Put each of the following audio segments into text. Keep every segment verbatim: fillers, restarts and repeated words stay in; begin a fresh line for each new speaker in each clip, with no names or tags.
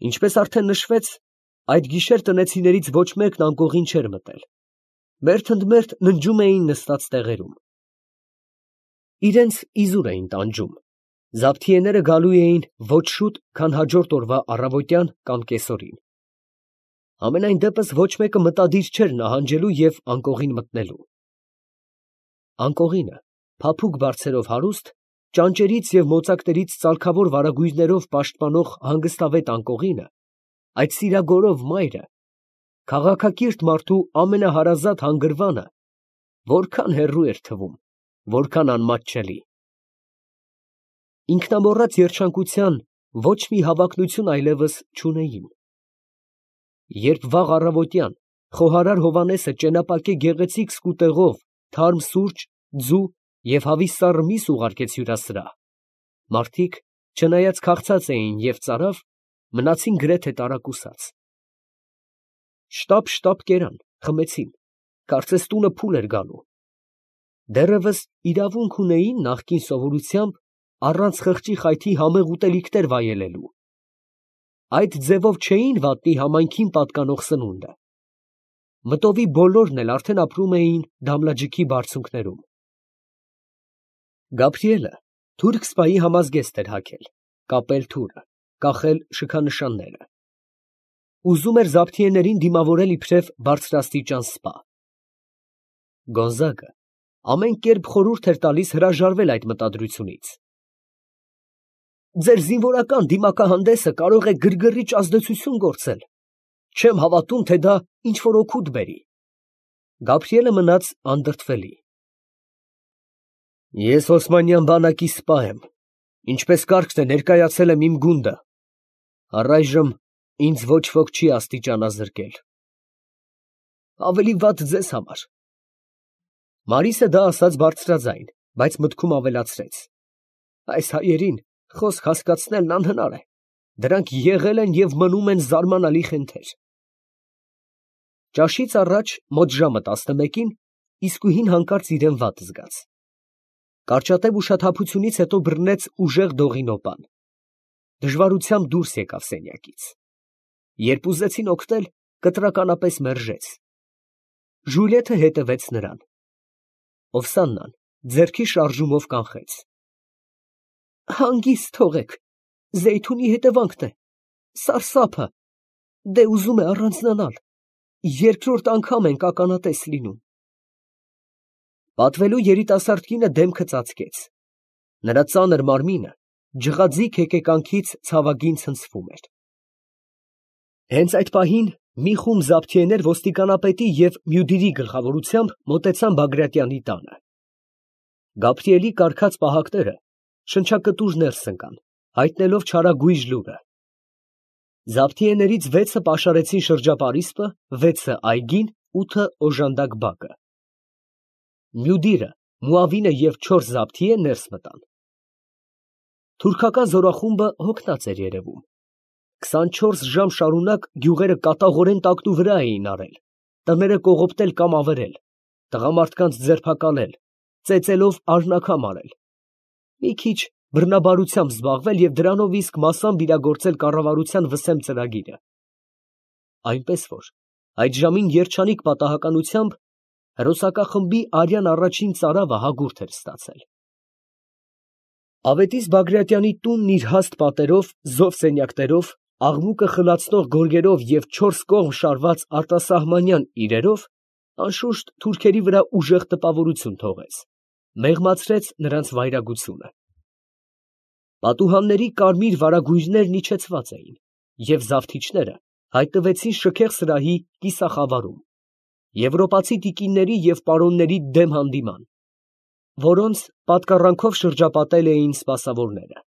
Ինչպես արդեն նշվեց, այդ գիշեր տնեցիներից ոչ մեկն անկողին չէր մտել. մերթ ընդ մերթ ննջում էին նստած տեղերում։ Իրենց իզուր էին տանջում. զաբթիեները գալու էին ոչ շուտ, քան հաջորդ օրվա առավոտյան կամ կեսօրին։ Համենայն դեպս ոչ մեկը մտադիր չէր նահանջելու և անկողին մտնելու։ Անկողինը, փափուկ բարձերով հարուստ, ճանճերից և մոծակներից ծալքավոր վարագույրներով պաշտպանող հանգստավետ անկողինը, այդ սիրագորով մայրը, քաղաքակիրթ մարդու ամենահարազատ հանգրվանը, որքան հեռու էր թվում, որքան անմատչելի։ Ինքնամոռաց երջանկության ոչ մի հավակնություն այլևս չունեին։ Երբ վաղ առավոտյան խոհարար Հովհաննեսը ճենապակե գեղեցիկ սկուտեղով թարմ սուրճ, ձու և հավիս սառը միս ուղարկեց հյուրասրահ, մարդիկ, չնայած քաղցած էին և ծարավ, մնացին գրեթե տարակուսած։ Շտապ֊շտապ կերան, խմեցին, կարծես տունը փուլ էր գալու։ Դեռևս իրավունք ունեին նախկին սովորությամբ առանց խղճի խայթի համեղ ուտելիքներ վայելելու։ Այդ ձևով չէին վատնի համայնքին պատկանող սնունդը։ Մտովի բոլորն էլ արդեն ապրում էին Դամլաջիքի բարձունքներում։ Գաբրիելը թուրք սպայի համազգեստ էր հագել, կապել թուրը, կախել շքանշանները։ Ուզում էր զաբթիեներին դիմավորել իբրև բարձրաստիճան սպա։ Գոնզագը ամեն կերպ խորհուրդ էր տալիս հրաժարվել այդ մտադրությունից։ Ձեր զինվորական դիմակահանդեսը կարող է գրգռիչ ազդեցություն գործել, չեմ հավատում, թե դա ինչ֊որ օգուտ բերի։ Գաբրիելը մնաց անդրդվելի։ Ես Օսմանյան բանակի սպա եմ, ինչպես կարգն է ներկայացել եմ իմ գունդը, առայժմ ինձ ոչ ոք չի աստիճանազրկել։ Ավելի վատ ձեզ համար։ Մարիսը դա ասաց բարձրաձայն, բայց մտքում ավելացրեց. այս հայերին խոսք հասկացնելն անհնար է, դրանք եղել են և մնում են զարմանալի խենթեր։ Ճաշից առաջ մոտ ժամը տասնմեկին իսկույն հանկարծ իրան վատ զգաց։ Կարճատև ուշաթափությունից հետո բռնեց ուժեղ դողինոպան։ Դժվարությամբ դուրս եկավ սենյակից։ Երբ ուզեցին օգնել, կտրականապես մերժեց։ Ժուլիեթը հետևեց նրան։ Օվսաննան ձեռքի շարժումով կանխեց։ Հանգիստ թողեք, Զեյթունի հետևանքն է, սարսափը, դե ուզում է առանձնանալ, երկրորդ անգամ ենք ականատես լինում։ Պատվելու երիտասարդ կինը դեմքը ծածկեց։ Նրա ծանր մարմինը ջղաձիգ հեկեկանքից ցավագին ցնցվում էր։ Հենց այդ պահին մի խումբ զաբթիեներ ոստիկանապետի և Մյուդիրի գլխավորությամբ մոտեցան Բագրատյանի տանը։ Գաբրիելի կառքած պահակները շնչակտուր ներս ընկան, հայտնելով չարագույժ լուրը։ Զաբթիեներից վեցը պաշարեցին շրջապարիսպը, վեցը այգին, ութը օժանդակ բակը։ Մյուդիրը, Մուավինը և չորս զաբթիե ներս մտան։ Թուրքական զորախումբը հոգնած էր երևում։ քսանչորս ժամ շարունակ գյուղերը կատաղորեն տակնուվրա էին արել, տները կողոպտել կամ ավերել, տղամարդկանց ձերբակալել, ծեծելով արնաքամ արել, մի քիչ բռնաբարությամբ զբաղվել և դրանով իսկ մասամբ իրագործել կառավարության վսեմ ծրագիրը։ Այնպես որ այդ ժամին երջանիկ պատահականությամբ հրոսակախմբի արյան առաջին ծարավը հագուրդ էր ստացել։ Ավետիս Բագրատյանի տունն իր հաստ պատերով, զով սենյակներով, աղմուկը խլացնող գորգերով և չորս կողմ շարված արտասահմանյան իրերով անշուշտ թուրքերի վրա ուժեղ տպավորություն թողեց, մեղմացրեց նրանց վայրագությունը։ Պատուհանների կարմիր վարագույրներն իջեցված էին, և զավթիչները հայտնվեցին շքեղ սրահի կիսախավարում, եվրոպացի տիկինների և պարոնների դեմ հանդիման, որոնց պատկառանքով շրջապատել էին սպասավորները։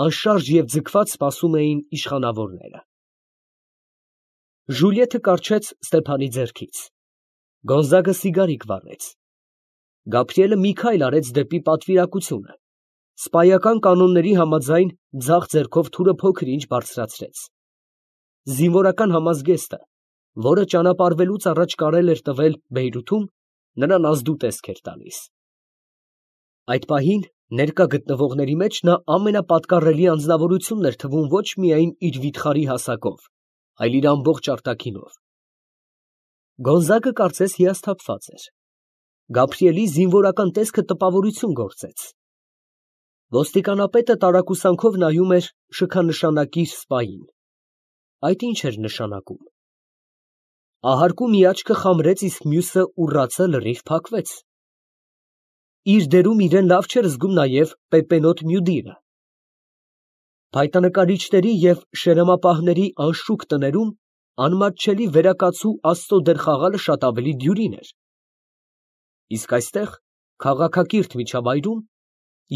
Անշարժ և ձգված սպասում էին իշխանավորները։ Ժուլիեթը կառչեց Ստեփանի ձեռքից։ Գոնզագը սիգարիկ վառեց։ Գաբրիելը մի քայլ արեց դեպի պատվիրակությունը, սպայական կանոնների համաձայն ձախ ձեռքով թուրը փոքր-ինչ բարձրացրեց։ Զինվորական համազգեստը, որը ճանապարհվելուց առաջ կարել էր տվել Բեյրութում, նրան ազդու տեսք էր տալիս։ Այդ պահին Ներկա գտնվողների մեջ նա ամենապատկառելի անձնավորությունն էր թվում ոչ միայն իր վիթխարի հասակով, այլ իր ամբողջ արտաքինով։ Գոնզագը կարծես հիասթափված էր։ Գաբրիելի զինվորական տեսքը տպավորություն գործեց։ Ոստիկանապետը տարակուսանքով նայում էր շքանշանակիր սպային։ Այդ ինչ էր նշանակում։ Ահարկու մի աչքը խամրեց, իսկ մյուսը ուռացը լրիվ փակվեց։ Իր դերում իրեն լավ չէր զգում նաև Պեպենոտ Մյուդիրը։ Փայտանկարիչների և շերամապահների անշուք տներում անմատչելի վերակացու Աստծո դեր խաղալը շատ ավելի դյուրին էր։ Իսկ այստեղ, քաղաքակիրթ միջավայրում,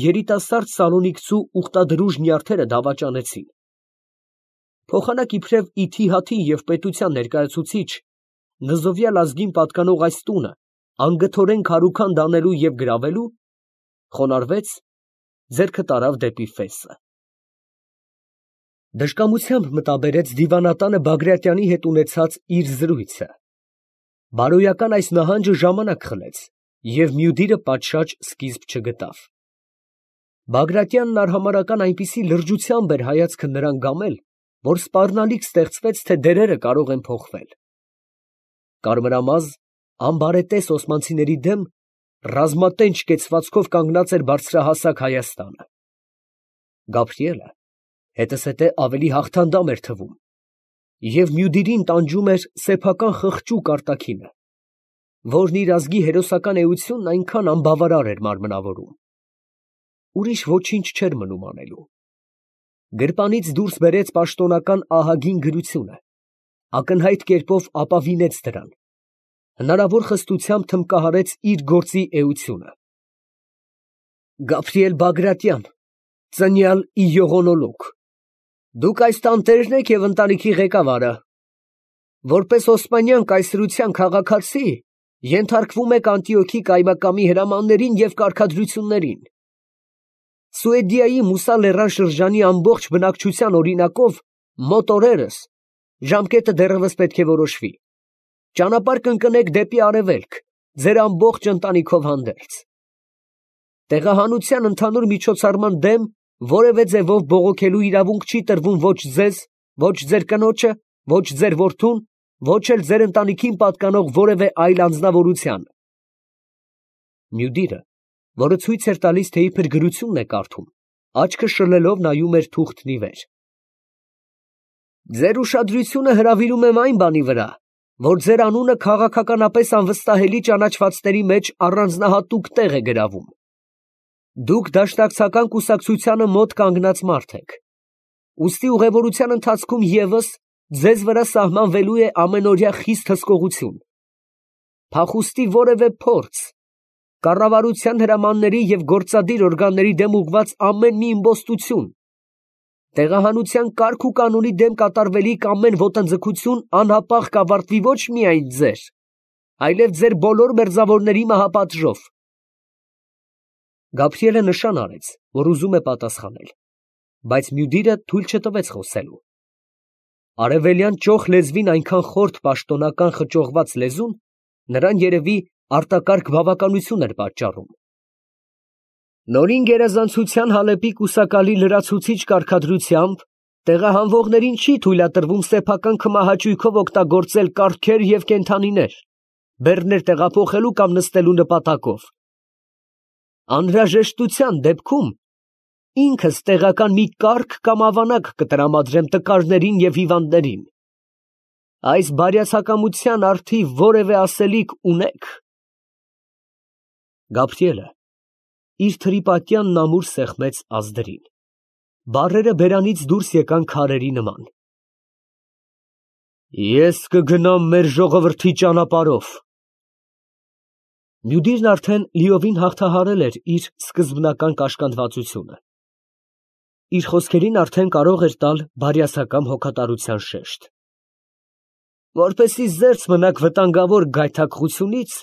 երիտասարդ սալոնիկցու ուխտադրուժ նյարդերը դավաճանեցին։ Փոխանակ իբրև ի թիհաթի և պետության ներկայացուցիչ, նզովյալ ազգին պատկանող այս տունը անգթորեն քարուքանդ անելու և գրավելու, խոնարհվեց, ձեռքը տարավ դեպի Ֆեսը։ Դժկամությամբ մտաբերեց դիվանատանը Բագրատյանի հետ ունեցած իր զրույցը։ Բարոյական այս նահանջը ժամանակ խլեց, և Մյուդիրը պատշաճ սկիզբ չգտավ։ Բագրատյանն արհամարհական այնպիսի լրջությամբ էր հայացքը նրան գամել, որ սպառնալիք ստեղծվեց, թե դերերը կարող են փոխվել։ Կարմրամազ, անբարետես օսմանցիների դեմ ռազմատենչ կեցվածքով կանգնած էր բարձրահասակ Հայաստանը։ Գաբրիելը հետզհետե ավելի հաղթանդամ էր թվում, և Մյուդիրին տանջում էր սեփական խղճուկ արտաքինը, որն իր ազգի հերոսական էությունն այնքան անբավարար էր մարմնավորում։ Ուրիշ ոչինչ չէր մնում անելու։ Գրպանից դուրս բերեց պաշտոնական ահագին գրությունը, ակնհայտ կերպով ապավինեց դրան, հնարավոր խստությամբ թմբկահարեց իր գործի էությունը։ Գաբրիել Բագրատյան, ծնյալ ի եղոնոլոգ, դուք այս տանտերն եք և ընտանիքի ղեկավարը, որպես օսմանյան կայսրության քաղաքացի, ենթարկվում եք Անտիոքի կայմակամի հրամաններին և կարգադրություններին։ Սուեդիայի Մուսա լեռան շրջանի ամբողջ բնակչության օրինակով մոտ օրերս ժամկետը դեռևս պետք է որոշվի։ Ճանապարհ կընկնեք դեպի արևելք, ձեր ամբողջ ընտանիքով հանդերձ։ Տեղահանության ընդհանուր միջոցառման դեմ որևէ ձևով բողոքելու իրավունք չի տրվում ոչ ձեզ, ոչ ձեր կնոջը, ոչ ձեր որդուն, ոչ էլ ձեր ընտանիքին պատկանող որևէ այլ անձնավորության։ Մյուդիրը, որը ցույց էր տալիս, թե իբր գրությունն է կարդում, աչքը շլելով նայում էր թուղթն ի վեր։ Ձեր ուշադրությունը հրավիրում եմ այն բանի վրա, որ ձեր անունը քաղաքականապես անվստահելի ճանաչվածների մեջ առանձնահատուկ տեղ է գրավում։ Դուք դաշնակցական կուսակցությանը մոտ կանգնած մարդ եք։ Ուստի ուղևորության ընթացքում ևս ձեզ վրա սահմանվելու է ամենօրյա խիստ հսկողություն։ Փախուստի որևէ փորձ, կառավարության հրամանների և գործադիր օրգանների դեմ ուղղված ամեն մի իմպոստություն, տեղահանության կարգ ու կանոնի դեմ կատարվելիք ամեն ոտնձգություն անհապաղ կավարտվի ոչ միայն ձեր, այլև ձեր բոլոր մերձավորների մահապատժով։ Գաբրիելը նշան արեց, որ ուզում է պատասխանել, բայց Մյուդիրը թույլ չտվեց խոսելու։ Արևելյան ճոխ լեզվին այնքան խորթ պաշտոնական խճողված լեզուն նրան երևի արտակարգ բավականություն էր պատճառում։ Նորին գերազանցության Հալեպի կուսակալի լրացուցիչ կարգադրությամբ տեղահանվողներին չի թույլատրվում սեփական քմահաճույքով օգտագործել կառքեր և կենդանիներ, բեռներ տեղափոխելու կամ նստելու նպատակով։ Անհրաժեշտության դեպքում ինքս տեղական մի կառք կամ ավանակ կտրամադրեմ տկարներին և հիվանդներին։ Այս բարյացակամության առթիվ որևէ ասելիք ունե՞ք։ Գաբրիելը իր թրիպատյանն ամուր սեղմեց ազդրին։ Բառերը բերանից դուրս եկան քարերի նման։ Ես կգնամ մեր ժողովրդի ճանապարհով։ Մյուդիրն արդեն լիովին հաղթահարել էր իր սկզբնական կաշկանդվածությունը։ Իր խոսքերին արդեն կարող էր տալ բարյացակամ հոգատարության շեշտ։ Որպեսզի զերծ մնաք վտանգավոր գայթակղությունից,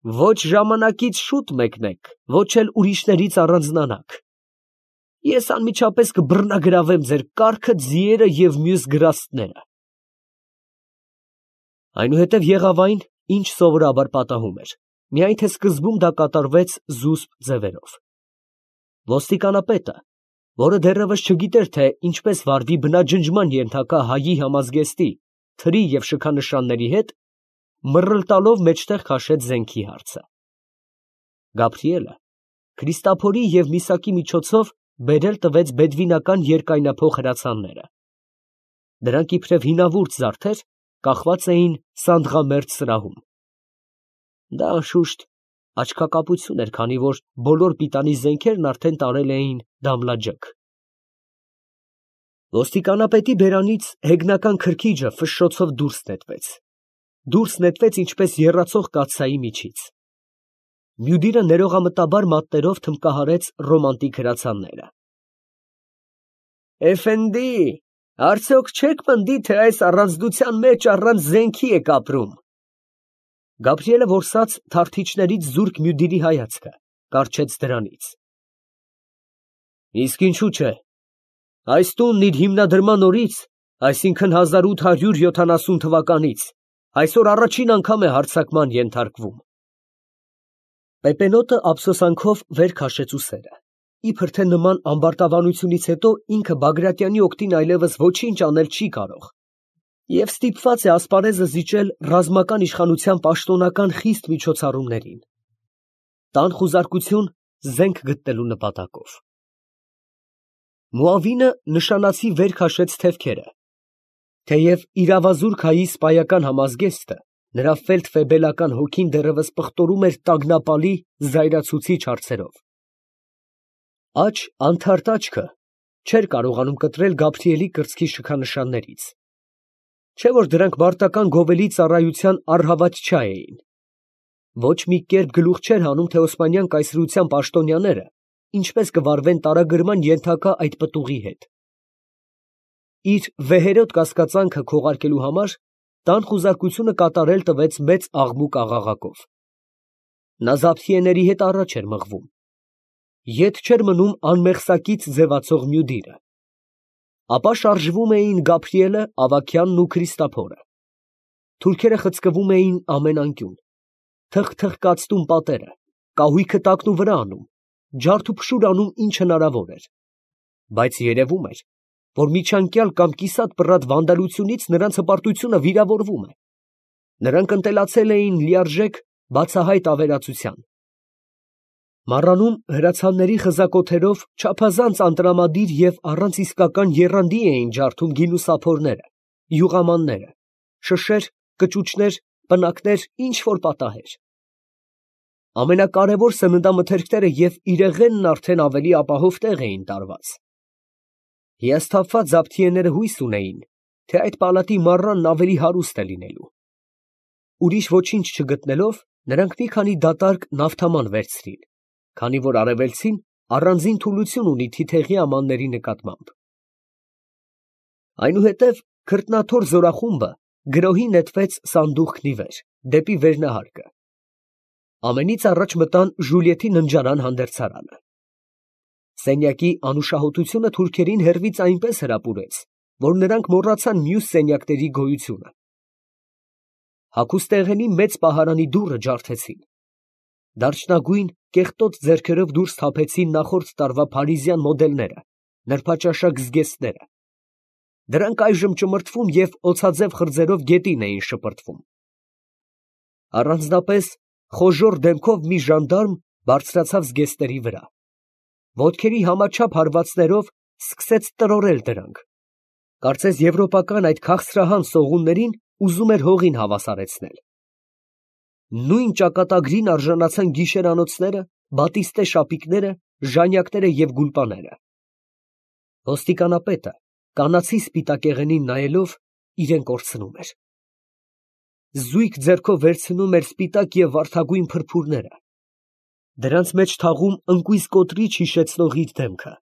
ոչ ժամանակից շուտ մեկնեք, ոչ էլ ուրիշներից առանձնանաք։ Ես անմիջապես կբռնագրավեմ ձեր կառքը, ձիերը և մյուս գրաստները։ Այնուհետև եղավ այն, ինչ սովորաբար պատահում էր, միայն թե սկզբում դա կատարվեց զուսպ ձևերով։ Ոստիկանապետը, որը դեռևս չգիտեր, թե ինչպես վարվի բնաջնջման ենթակա հայի համազգեստի, թրի և շքանշանների հետ, մռլտալով մեջտեղ քաշեց զենքի հարցը։ Գաբրիելը Քրիստափորի և Միսակի միջոցով բերել տվեց բեդվինական երկայնափող հրացանները. դրանք իբրև հինավուրց զարդեր կախված էին սանդղամերձ սրահում։ Դա անշուշտ աչքակապություն էր, քանի որ բոլոր պիտանի զենքերն արդեն տարել էին դամլաջգ։ Ոստիկանապետի բերանից հեգնական քրքիջը ֆշշոցով դուրս նետվեց, դուրս նետվեց ինչպես եռացող կաթսայի միջից։ Մյուդիրը ներողամտաբար մատներով թմբկահարեց ռոմանտիկ հրացանները։ Էֆենդի, արդյոք չեք պնդի, թե այս առանձնության մեջ առանց զենքի եք ապրում։ Գաբրիելը որսաց թարթիչներից զուրկ Մյուդիրի հայացքը, կառչեց դրանից։ Իսկ ինչու՞ չէ։ Այս տունն իր հիմնադրման օրից, այսինքն հազար ութ հարյուր յոթանասուն թվականից, այսօր առաջին անգամ է հարձակման ենթարկվում։ Պեպենոտը ափսոսանքով վեր քաշեց ուսերը, իբր թե նման ամբարտավանությունից հետո ինքը Բագրատյանի օգտին այլևս ոչինչ անել չի կարող, և ստիպված է ասպարեզը զիջել ռազմական իշխանության պաշտոնական խիստ միջոցառումներին, տան խուզարկություն զենք գտնելու նպատակով։ Մուավինը նշանացի վեր քաշեց թևքերը, թեև իրավազուրկ հայի սպայական համազգեստը, նրա ֆելդֆեբելական հոգին դեռևս պղտորում էր տագնապալի, զայրացուցիչ հարցերով։ Աջ անթարթ աչքը չէր կարողանում կտրել Գաբրիելի կրծքի շքանշաններից, չէ՞ որ դրանք մարտական գովելի ծառայության առհավատչա էին։ Ոչ մի կերպ գլուխ չէր հանում, թե Օսմանյան կայսրության պաշտոնյաները ինչպես կվարվեն տարագրման ենթակա այդ պտուղի հետ։ Իր վեհերոտ կասկածանքը քողարկելու համար տան խուզարկությունը կատարել տվեց մեծ աղմուկ աղաղակով։ Նա զապթիեների հետ առաջ էր մղվում։ Ետ չէր մնում անմեղսակից ձևացող Մյուդիրը։ Ապա շարժվում էին Գաբրիելը, Ավագյանն ու Քրիստափորը։ Թուրքերը խցկվում էին ամեն անկյուն, թխթխկացնում պատերը, կահույքը տակնուվրա անում, ջարդուփշուր անում ինչ հնարավոր էր, բայց երևում էր, որ միջանկյալ կամ կիսատ պռատ վանդալությունից նրանց հպարտությունը վիրավորվում է։ Նրանք ընտելացել էին լիարժեք բացահայտ ավերածության։ Մառանում հրացանների խզակոթերով չափազանց անտրամադիր և առանց իսկական եռանդի էին ջարդում գինուսափորները, յուղամանները, շշեր, կճուճներ, պնակներ, ինչ որ պատահեր։ Ամենակարևոր սննդամթերքները և իրեղենն արդեն ավելի ապահով տեղ էին տարված։ Հիասթափված զապթիեները հույս ունեին, թե այդ պալատի մառանն ավելի հարուստ է լինելու։ Ուրիշ ոչինչ չգտնելով, նրանք մի քանի դատարկ նավթաման վերցրին, քանի որ արևելցին առանձին թուլություն ունի թիթեղի ամանների նկատմամբ։ Այնուհետև քրտնաթոր զորախումբը գրոհի նետվեց սանդուղքն ի վեր, դեպի վերնահարկը։ Ամենից առաջ մտան Ժուլիետի ննջարան հանդերձարանը։ Սենյակի անուշահոտությունը թուրքերին հեռվից այնպես հրապուրեց, որ նրանք մոռացան մյուս սենյակների գոյությունը։ Հագուստեղենի մեծ պահարանի դուռը ջարդեցին։ Դարչնագույն կեղտոտ ձեռքերով դուրս թափեցին նախորդ տարվա փարիզյան մոդելները, նրբաճաշակ զգեստները։ Դրանք այժմ ճմրթվում և օձաձև խրձերով գետին էին շպրտվում։ Առանձնապես խոժոռ դեմքով մի ժանդարմ բարձրացավ զգեստների վրա, ոտքերի համաչափ հարվածներով սկսեց տրորել դրանք, կարծես եվրոպական այդ քաղցրահան սողուններին ուզում էր հողին հավասարեցնել։ Նույն ճակատագրին արժանացան գիշերանոցները, բատիստե շապիկները, ժանյակները և գուլպաները։ Ոստիկանապետը կանացի սպիտակեղենին նայելով իրեն կորցնում էր։ Զույգ ձեռքով վերցնում էր սպիտակ և վարդագույն փրփուրները, դրանց մեջ թաղում ընկույզ կոտրիչ հիշեցնող իր դեմքը։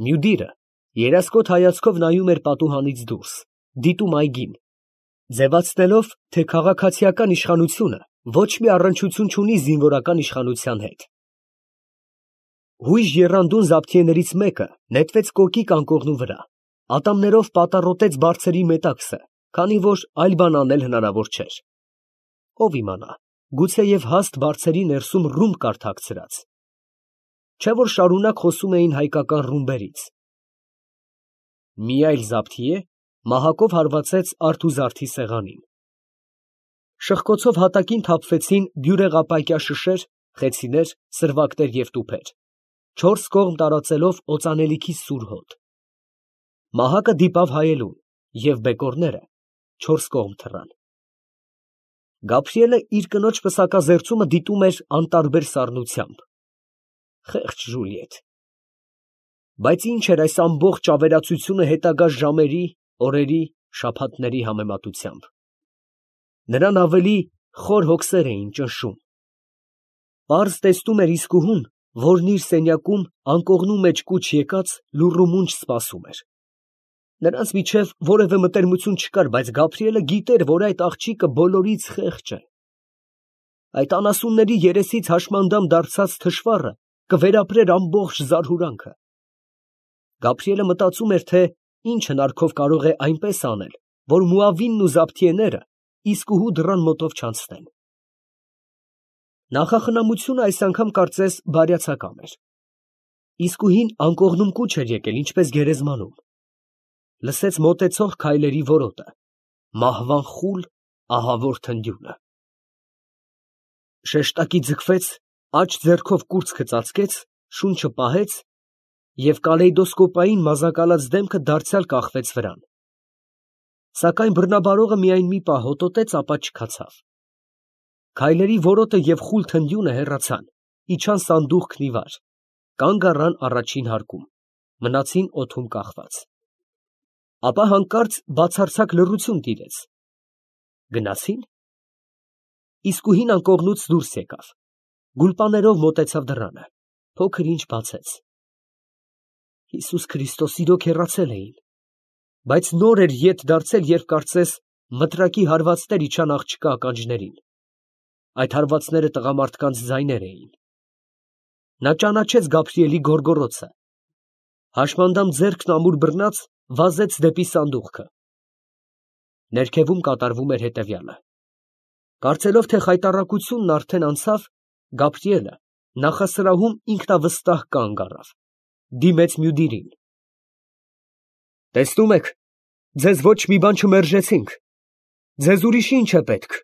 Մյուդիրը երասկոտ հայացքով նայում էր պատուհանից դուրս, դիտում այգին, ձևացնելով, թե քաղաքացիական իշխանությունը ոչ մի առնչություն չունի զինվորական իշխանության հետ։ Հույժ եռանդուն զապթիեներից մեկը նետվեց կոկիկ անկողնու վրա, ատամներով պատառոտեց բարձրի մետաքսը, քանի որ այլ բան անել հնարավոր չէր։ Ով իմանա, գուցեև հաստ բարձերի ներսում ռումբ կար թաքցրած։ չէ՞ որ շարունակ խոսում էին հայկական ռումբերից։ Մի այլ զաբթիե մահակով հարվածեց արթուզարդի սեղանին։ Շղկոցով հատակին թափվեցին բյուրեղապայկյա շշեր, խեցիներ, սրվակներ և տուփեր, չորս կողմ տարածելով օծանելիքի սուր հոտ։ Մահակը դիպավ հայելուն, և բեկորները չորս կողմ թռան։ Գաբրիելը իր կնոջ պսակազերծումը դիտում էր անտարբեր սառնությամբ։ Խեղճ Ժուլիետ… Բայց ի՞նչ էր այս ամբողջ ավերածությունը հետագա ժամերի, օրերի, շաբաթների համեմատությամբ։ Նրան ավելի խոր հոգսեր էին ճնշում։ Պարզ տեսնում էր իսկուհուն, որն իր սենյակում անկողնու մեջ կուչ եկած լուռ ու մունջ սպասում էր։ Նրանց միջև որևէ մտերմություն չկար, բայց Գաբրիելը գիտեր, որ այդ աղջիկը բոլորից խեղճ է։ Այդ անասունների երեսից հաշմանդամ դարձած թշվառը կվերապրեր ամբողջ զարհուրանքը։ Գաբրիելը մտածում էր, թե ինչ հնարքով կարող է այնպես անել, որ Մուավինն ու զաբթիեները իսկուհու դռան մոտով չանցնեն։ Նախախնամությունը այս անգամ կարծես բարյացակամ էր։ Իսկուհին անկողնում կուչ էր եկել, ինչպես գերեզմանում։ Լսեց մոտեցող քայլերի որոտը, մահվան խուլ, ահավոր թնդյունը։ Շեշտակի ձգվեց, աջ ձեռքով կուրծքը ծածկեց, շունչը պահեց և կալեյդոսկոպային մազակալած դեմքը դարձյալ կախվեց վրան։ Սակայն բռնաբարողը միայն մի պահ հոտոտեց, ապա չքացավ։ Քայլերի որոտը և խուլ թնդյունը հեռացան, իջան սանդուղքն ի վար, կանգ առան առաջին հարկում, մնացին օդում կախված։ Ապա հանկարծ բացարձակ լռություն տիրեց։ Գնացի՞ն։ Իսկուհին անկողնուց դուրս եկավ, գուլպաներով մոտեցավ դռանը, փոքր ինչ բացեց։ Հիսուս Քրիստոս, իրոք հեռացել էին, բայց նոր էր ետ դարձել, երբ կարծես մտրակի հարվածներ իջան աղջկա ականջներին։ Այդ հարվածները տղամարդկանց ձայներ էին։ Նա ճանաչեց Գաբրիելի գոռգոռոցը։ Հաշմանդամ ձեռքն ամուր բռնած վազեց դեպի սանդուղքը։ Ներքևում կատարվում էր հետևյալը. Կարծելով, թե խայտառակությունն արդեն անցավ, Գաբրիելը նախասրահում ինքնավստահ կանգ առավ, դիմեց Մյուդիրին։ Տեսնում եք, ձեզ ոչ մի բան չմերժեցինք, ձեզ ուրիշ ի՞նչ է պետք։